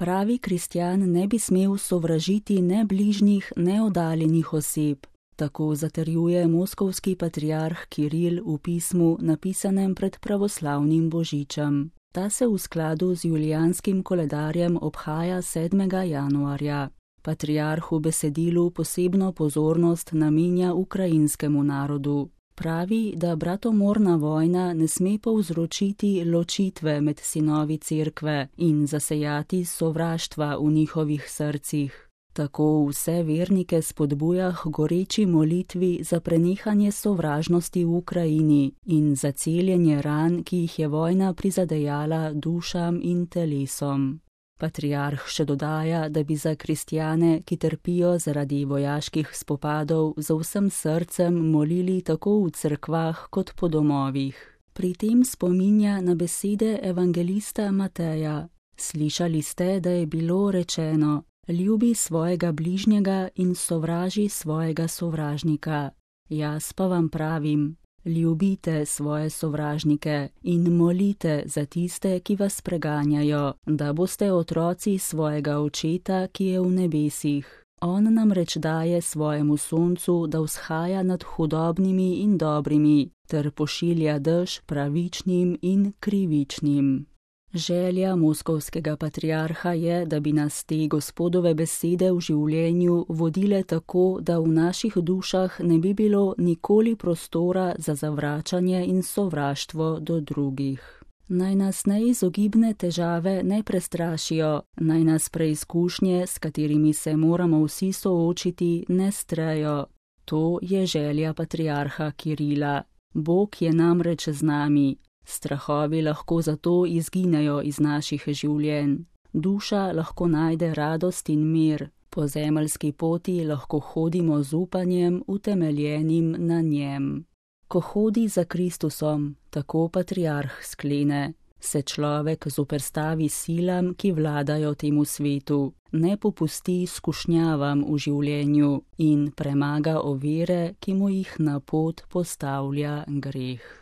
Pravi kristjan ne bi smel sovražiti ne bližnjih, ne oddaljenih oseb. Tako zatrjuje moskovski patriarh Kiril v pismu, napisanem pred pravoslavnim božičem. Ta se v skladu z julijanskim koledarjem obhaja 7. januarja. Patriarh v besedilu posebno pozornost namenja ukrajinskemu narodu. Pravi, da bratomorna vojna ne sme povzročiti ločitve med sinovi cerkve in zasejati sovraštva v njihovih srcih. Tako vse vernike spodbuja k goreči molitvi za prenehanje sovražnosti v Ukrajini in za celjenje ran, ki jih je vojna prizadejala dušam in telesom. Patriarh še dodaja, da bi za kristjane, ki trpijo zaradi vojaških spopadov, z vsem srcem molili tako v cerkvah kot po domovih. Pri tem spominja na besede evangelista Mateja. Slišali ste, da je bilo rečeno: ljubi svojega bližnjega in sovraži svojega sovražnika. Jaz pa vam pravim: ljubite svoje sovražnike in molite za tiste, ki vas preganjajo, da boste otroci svojega Očeta, ki je v nebesih. On namreč daje svojemu soncu, da vzhaja nad hudobnimi in dobrimi, ter pošilja dež pravičnim in krivičnim. Želja moskovskega patriarha je, da bi nas te Gospodove besede v življenju vodile tako, da v naših dušah ne bi bilo nikoli prostora za zavračanje in sovraštvo do drugih. Naj nas neizogibne težave ne prestrašijo, naj nas preizkušnje, s katerimi se moramo vsi soočiti, ne strejo. To je želja patriarha Kirila. Bog je namreč z nami. Strahovi lahko zato izginejo iz naših življenj. Duša lahko najde radost in mir. Po zemeljski poti lahko hodimo z upanjem, utemeljenim na njem. Ko hodi za Kristusom, tako patriarh sklene, se človek zoperstavi silam, ki vladajo temu svetu, ne popusti skušnjavam v življenju in premaga ovire, ki mu jih na pot postavlja greh.